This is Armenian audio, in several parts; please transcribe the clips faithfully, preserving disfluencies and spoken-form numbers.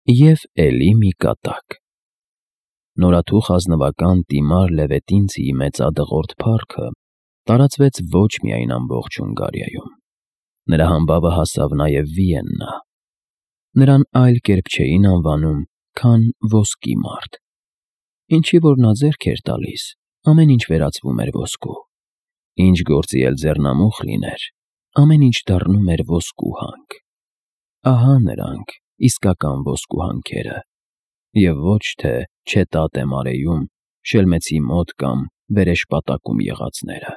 Եվ էլի մի կատակ։ Նորաթուխ ազնվական տիմար Լևետինցիի մեծադղրդ փառքը տարածվեց ոչ միայն ամբողջ Հունգարիայում. նրա համբավը հասավ նաև Վիեննա։ Նրան այլ կերպ չէին անվանում, քան ոսկի մարդ, ինչի որ նա ձեռք էր տալիս, ամեն ինչ վերածվում էր ոսկու, ինչ գործի էլ ձեռնամուխ լիներ, ամեն ինչ դառնում էր ոսկու հանք։ Ահա նրանք, իսկական ոսկու հանքերը, և ոչ թե չետատե մարեում, շելմեցի մոտ կամ վերեշպատակում եղածները։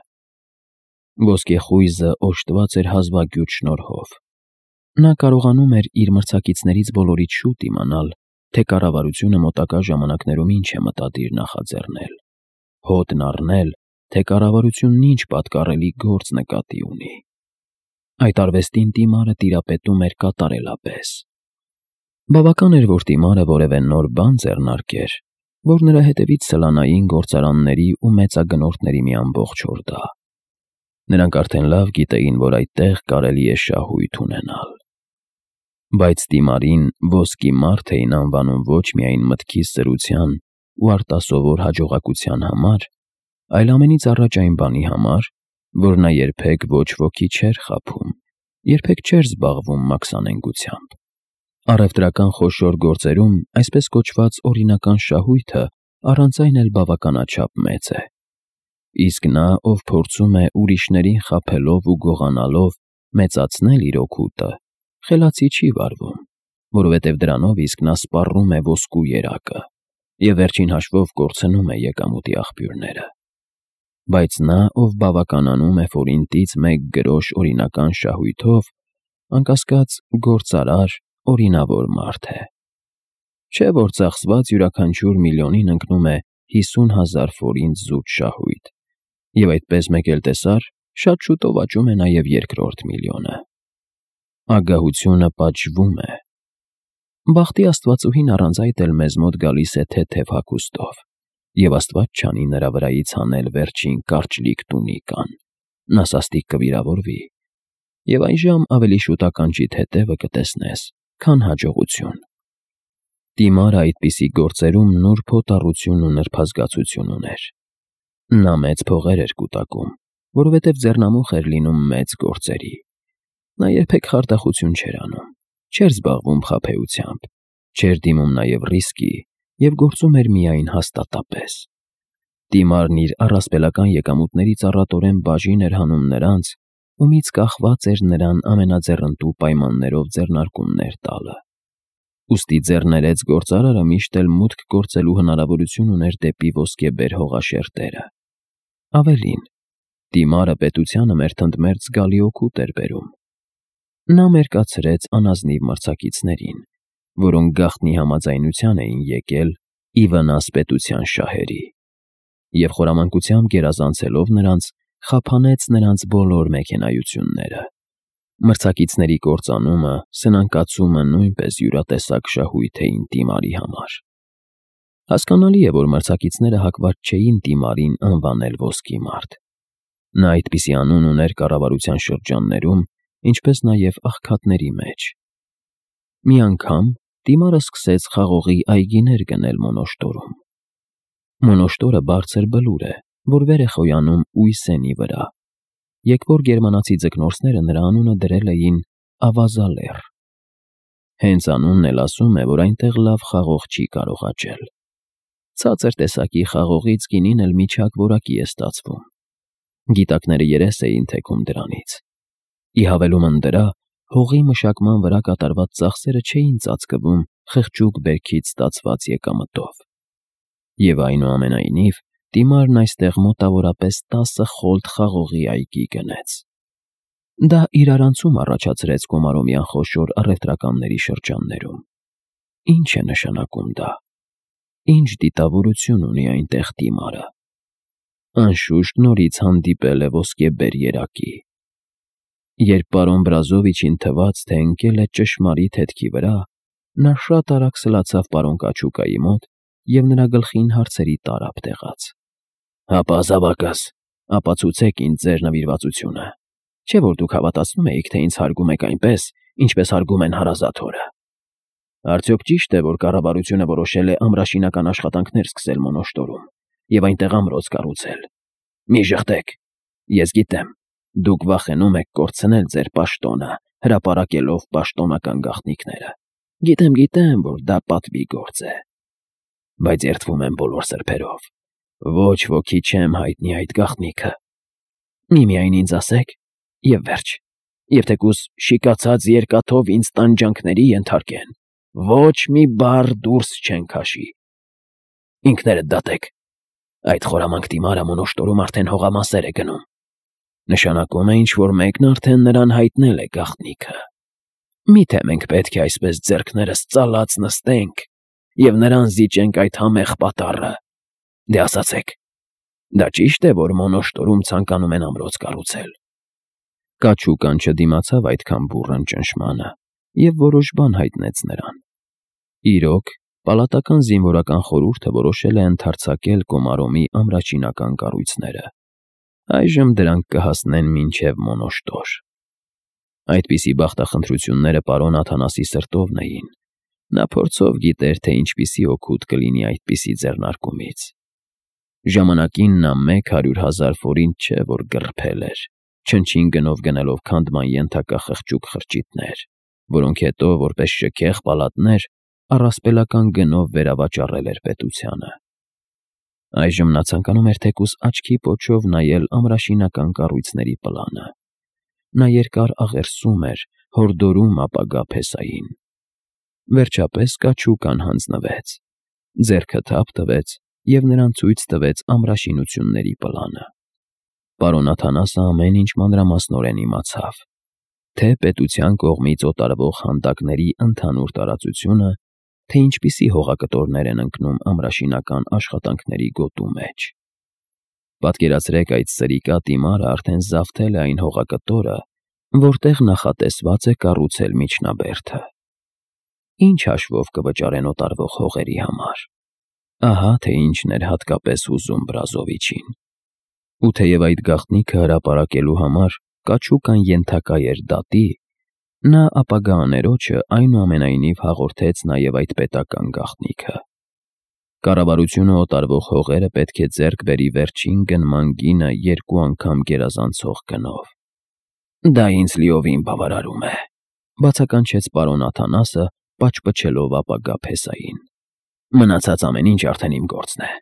Ոսկե խույզը օժտված էր հազվագյուտ շնորհով։ Նա կարողանում էր իր մրցակիցներից բոլորից շուտ իմանալ, թե կառավարությունը մոտակա ժամանակներում ինչ է մտադիր նախաձեռնել, հոտն առնել, թե կառավարությունն ինչ պատկառելի գործ նկատի ունի։ Այդ արվեստին տիմարը տիրապետում էր կատարելապես։ Բավական էր, որ տիմարը որևէ նոր բան ձեռնարկեր, որ նրա հետևից սլանային գործարանների ու մեծագնորդների մի ամբողջ հորդա։ Նրանք արդեն լավ գիտեին, որ այդտեղ կարելի է շահույթ ունենալ։ Բայց տիմարին ոսկի մարդ էին անվանում ոչ միայն մտքի սրության ու արտասովոր հաջողակության համար, այլ ամենից առաջ այն բանի համար, որ նա երբեք ոչ ոքի չէր խաբում, երբեք չէր զբաղվում մաքսանենգությամբ։ Առևտրական խոշոր գործերում այսպես կոչված օրինական շահույթը առանց այն էլ բավականաչափ մեծ է։ Իսկ նա, ով փորձում է ուրիշներին խաբելով ու գողանալով մեծացնել իր օգուտը, խելացի չի վարվում, որովհետև դրանով իսկ նա սպառում է ոսկու երակը և վերջին հաշվով կորցնում է եկամուտի աղբյուրները։ Բայց նա, ով բավականանում է ֆորինտից մեկ գրոշ օրինական շահույթով, անկասկած գործարար, օրինավոր մարդ է։ Չէ՞ որ ծախսված յուրաքանչյուր միլիոնին ընկնում է հիսուն հազար ֆորինտ զուտ շահույթ, և այդպես մեկ էլ տեսար, շատ շուտով աճում է նաև երկրորդ միլիոնը։ Ագահությունը պատժվում է։ Բախտի աստվածուհին առանց այդ էլ մեզ մոտ գալիս է թեթև հագուստով, և աստված չանի նրա վրայից հանել վերջին կարճլիկ տունիկան, նա սաստիկ կվիրավորվի, և այժմ ավելի շուտ ականջիդ հետևը կտեսնես, քան հաջողություն։ Տիմարը այդպիսի գործերում նուրբ հոտառություն ու նրբազգացություն ուներ։ Նա մեծ փողեր էր կուտակում, որովհետև ձեռնամուխ էր լինում մեծ գործերի։ Նա երբեք խարդախություն չէր անում, չէր զբաղվում խաբեությամբ, չէր դիմում նաև ռիսկի և գործում էր միայն հաստատապես։ Տիմարն իր առասպելական եկամուտներից առատորեն բաժին էր հանում նրանց, ումից կախված էր նրան ամենաձեռնտու պայմաններով ձեռնարկումներ տալը։ Ուստի ձեռներեց գործարարը միշտ էլ մուտք գործելու հնարավորություն ուներ դեպի ոսկեբեր հողաշերտերը։ Ավելին, տիմարը պետությանը մերթընդմերթ զգալի օգուտ էր բերում։ Նա մերկացրեց անազնիվ մրցակիցներին, որոնք գաղտնի համաձայնության էին եկել ի վնաս պետության շահերի, և խորամանկությամբ գերազանցելով նրանց, խափանեց նրանց բոլոր մեքենայությունները։ Մրցակիցների կործանումը, սնանկացումը նույնպես յուրատեսակ շահույթ էին տիմարի համար։ Հասկանալի է, որ մրցակիցները հակված չէին տիմարին անվանել ոսկի մարդ։ Նա այդպիսի անուն ուներ կառավարության շրջաններում, ինչպես նաև աղքատների մեջ։ Մի անգամ տիմարը սկսեց խաղողի այգիներ գնել Մոնոշտորում։ Մոնոշտորը բարձր բլուր է, որ վեր է խոյանում Ուիսենի վրա։ Եկվոր գերմանացի ձկնորսները նրա անունը դրել էին Ավազալեռ։ Հենց անունն էլ ասում է, որ այնտեղ լավ խաղող չի կարող աճել։ Ցածր տեսակի խաղողից գինին էլ միջակ որակի է ստացվում։ Գիտակները երես էին թեքում դրանից։ Ի հավելումն դրա, հողի մշակման վրա կատարված ծախսերը չէին ծածկվում խղճուկ բերքից ստացված եկամտով։ Եվ այնուամենայնիվ, տիմարն այստեղ մոտավորապես տասը խոլդ խաղողի այգի գնեց։ Դա իրարանցում առաջացրեց Կոմարոմյան խոշոր առևտրականների շրջաններում։ Ինչ է նշանակում դա։ Ինչ դիտավորություն ունի այնտեղ տիմարը։ Անշուշտ նորից հանդիպել է ոսկեբեր երակի։ Երբ պարոն Բրազովիչին թվաց, թե ընկել է ճշմարիտ հետքի վրա, նա շատ արագ սլացավ պարոն Կաչուկայի մոտ և նրա գլխին հարցերի տարափ տեղաց։ Հապա զավակս, ապացուցեք ինձ ձեր նվիրվածությունը, չէ՞ որ դուք հավատացնում էիք, թե ինձ հարգում եք այնպես, ինչպես հարգում են հարազատ հորը։ Արդյոք ճիշտ է, որ կառավարությունը որոշել է ամրաշինական աշխատանքներ սկսել Մոնոշտորում և այնտեղ ամրոց կառուցել։ Մի ժխտեք, ես գիտեմ, դուք վախենում եք կորցնել ձեր պաշտոնը, հրապարակելով պաշտոնական գաղտնիքները։ Գիտեմ, գիտեմ, որ դա պատվի գործ է, բայց երդվում եմ բոլոր սրբերով։ Ոչ ոքի չեմ հայտնի այդ գաղտնիքը։ Միմիայն ինձ ասեք, և վերջ, և թեկուզ շիկացած երկաթով ինձ տանջանքների ենթարկեն, ոչ մի բառ դուրս չեն քաշի։ Ինքներդ դատեք, այդ խորամանկ դիմարը Մոնոշտորում արդեն հողամասեր է գնում։ Նշանակում է, ինչ-որ մեկն արդեն նրան հայտնել է գաղտնիքը։ Միթե մենք պետք է այսպես ձեռքներս ծալած նստենք և նրան զիջենք այդ համեղ պատառը։ Դե ասացեք, դա ճի՞շտ է, որ Մոնոշտորում ցանկանում են ամրոց կառուցել։ Կաչուկան չդիմացավ այդքան բուռն ճնշմանը և որոշ բան հայտնեց նրան։ Իրոք, պալատական զինվորական խորհուրդը որոշել է ընդարձակել Կոմարոմի ամրաշինական կառույցները։ Այժմ դրանք կհասնեն մինչև Մոնոշտոր։ Այդպիսի բախտախնդրությունները պարոն Աթանասի սրտովն էին։ Նա փորձով գիտեր, թե ինչպիսի օգուտ կլինի այդպիսի ձեռնարկումից։ Ժամանակին նա մեկ հարյուր հազար ֆորինտ չէ, որ գռփել էր, չնչին գնով գնելով քանդման ենթակա խղճուկ խրճիթներ, որոնք հետո, որպես շքեղ պալատներ, առասպելական գնով վերավաճառել էր պետությանը։ Այժմ նա ցանկանում էր թեկուզ աչքի պոչով նայել ամրաշինական կառույցների պլանը։ Նա երկար աղերսում էր, հորդորում ապագա փեսային։ Վերջապես կաչուկան հանձնվեց, ձեռքը թափ տվեց և նրան ցույց տվեց ամրաշինությունների պլանը։ Պարոն Աթանասը ամեն ինչ մանրամասնորեն իմացավ, թե պետության կողմից օտարվող հանդակների ընդհանուր տարածությունը, թե ինչպիսի հողակտորներ են ընկնում ամրաշինական աշխատանքների գոտու մեջ։ Պատկերացրեք, այդ սրիկա դիմարը արդեն զավթել է այն հողակտորը, որտեղ նախատեսված է կառուցել միջնաբերդը։ Ինչ հաշվով կվճարեն օտարվող հողերի համար։ Ահա թե ինչն էր հատկապես հուզում Բրազովիչին։ Ու թեև այդ գաղտնիքը հրապարակելու համար կաչուկան ենթակա էր դատի, նա ապագա աներոջը այնուամենայնիվ հաղորդեց նաև այդ պետական գաղտնիքը։ Կառավարությունը օտարվող հողերը պետք է ձեռք բերի վերջին գնման գինը երկու անգամ գերազանցող գնով։ Դա ինձ լիովին բավարարում է, բացականչեց պարոն Աթանասը, պաչպչելով ապագա փեսային։ Մնացած ամեն ինչ արդեն իմ գործն է։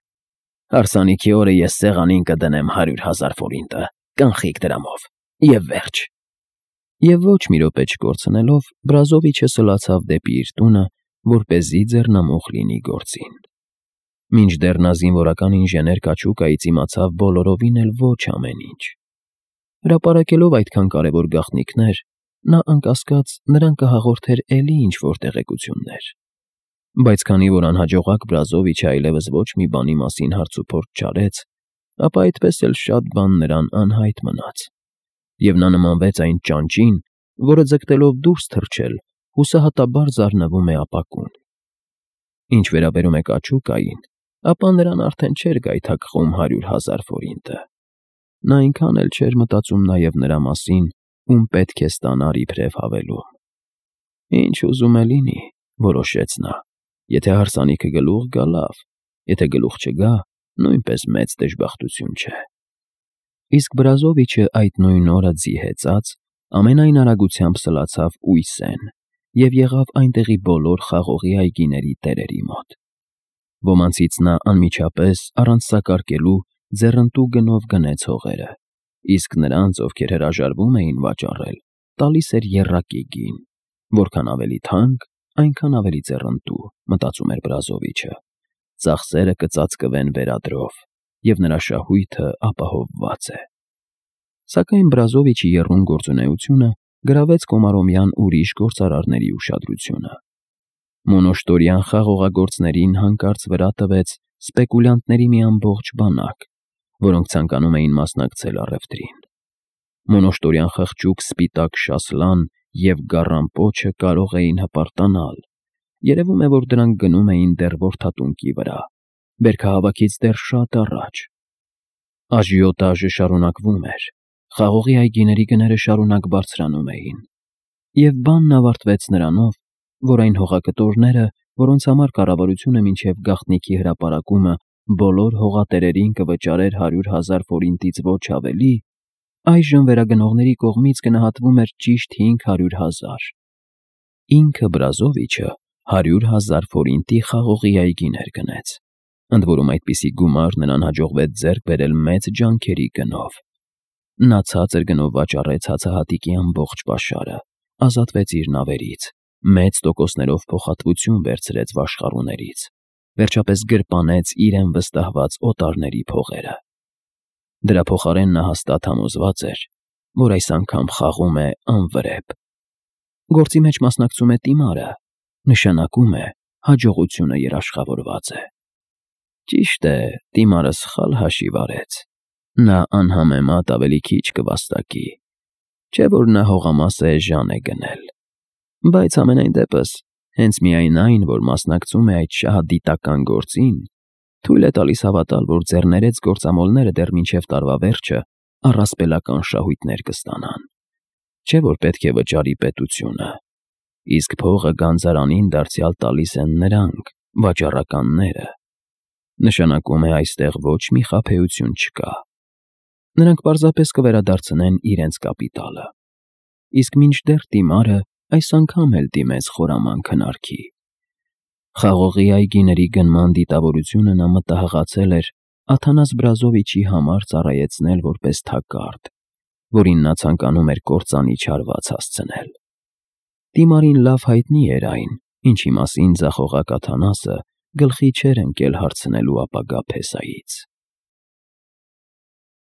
Հարսանիքի օրը ես սեղանին կդնեմ հարյուր հազար ֆորինտը, կանխիկ դրամով, և վերջ։ Եվ ոչ մի րոպե չկորցնելով, Բրազովիչը սլացավ դեպի իր տունը, որպեսզի ձեռնամուխ լինի գործին։ Մինչդեռ նա զինվորական ինժեներ Կաչուկայից իմացավ բոլորովին էլ ոչ ամեն ինչ։ Հրապարակելով այդքան կարևոր գաղտնիքներ, նա անկասկած նրան կհաղորդեր էլի ինչ-որ տեղեկություններ։ Բայց քանի որ անհաջողակ Բրազովիչը այլևս ոչ մի բանի մասին հարցուփորձ չարեց, ապա այդպես էլ շատ բան նրան անհայտ մնաց, և նա նմանվեց այն ճանճին, որը ձգտելով դուրս թռչել, հուսահատաբար զարնվում է ապակուն։ Ինչ վերաբերում է Կաչուկային, ապա նրան արդեն չէր գայթակղում հարյուր հազար ֆորինտը։ Նա այնքան էլ չէր մտածում նաև նրա մասին, ում պետք է ստանար իբրև հավելում։ Ինչ ուզում է լինի, որոշեց նա, եթե հարսանիքը գլուխ գա, լավ, եթե գլուխ չգա, նույնպես մեծ դժբախտություն չէ։ Իսկ Բրազովիչը այդ նույն օրը ձի հեծած ամենայն արագությամբ սլացավ Ուիսեն և եղավ այնտեղի բոլոր խաղողի այգիների տերերի մոտ։ Ոմանցից նա անմիջապես, առանց սակարկելու, ձեռնտու գնով գնեց հողերը, իսկ նրանց, ովքեր հրաժարվում էին վաճառել, տալիս էր եռակի գին, որքան ավելի թանկ, այնքան ավելի ձեռնտու, մտածում էր Բրազովիչը։ Ծախսերը կծածկվեն վերադրով, և նրա շահույթը ապահովված է։ Սակայն Բրազովիչի եռուն գործունեությունը գրավեց Կոմարոմյան ուրիշ գործարարների ուշադրությունը։ Մոնոշտորյան խաղողագործներին հանկարծ վրա տվեց սպեկուլյանտների մի ամբողջ բանակ, որոնք ցանկանում էին մասնակցել առևտրին։ Մոնոշտորյան խղճուկ սպիտակ շասլան և գառան պոչը կարող էին հպարտանալ, երևում է, որ դրանք գնում էին դեռ Որդատունկի վրա, բերքահավաքից դեռ շատ առաջ։ Աժիոտաժը շարունակվում էր, խաղողի այգիների գները շարունակ բարձրանում էին, և բանն ավարտվեց նրանով, որ այն հողակտորները, որոնց համար կառավարությունը մինչև գաղտնիքի հրապարակումը բոլոր հողատերերին կվճարեր հարյուր հազար ֆորինտից ոչ ավելի, այժմ վերագնողների կողմից գնահատվում էր ճիշտ հինգ հարյուր հազար։ Ինքը Բրազովիչը հարյուր հազար ֆորինտի խաղողի այգիներ գնեց, ընդ որում այդպիսի գումար նրան հաջողվեց ձեռք բերել մեծ ջանքերի գնով։ Նա ցածր գնով վաճառեց հացահատիկի ամբողջ պաշարը, ազատվեց իր նավերից, մեծ տոկոսներով փոխհատվություն վերցրեց վաշխառուներից, վերջապես գրպանեց իրեն վստահված օտարների փողերը։ Դրա փոխարեն նա հաստատ համոզված էր, որ այս անգամ խաղում է անվրեպ։ Գործի մեջ մասնակցում է դիմարը, նշանակում է հաջողությունը երաշխավորված է։ Ճիշտ է, դիմարը սխալ հաշիվ արեց։ Նա անհամեմատ ավելի քիչ կվաստակի, չէ՞ որ նա հողամասը էժան է գնել։ Բայց համենայն դեպս, հենց միայն այն, որ մասնակցում է այդ շահադիտական գործին, թույլ է տալիս հավատալ, որ ձեռներեց գործամոլները դեռ մինչև տարվա վերջը առասպելական շահույթներ կստանան, չէ՞ որ պետք է վճարի պետությունը, իսկ փողը գանձարանին դարձյալ տալիս են նրանք, վաճառականները։ Նշանակում է այստեղ ոչ մի խաբեություն չկա։ Նրանք պարզապես կվերադարձնեն իրենց կապիտալը, իսկ մինչդեռ դիմարը այս անգամ էլ դիմեց խորաման քնարքի։ Խաղողի այգիների գնման դիտավորությունը նա մտահղացել էր Աթանաս Բրազովիչի համար ծառայեցնել որպես թակարդ, որին նա ցանկանում էր կործանիչ հարված հասցնել։ Դիմարին լավ հայտնի էր այն, ինչի մասին ձախողակ Աթանասը գլխի չէր ընկել հարցնելու ապագա փեսայից։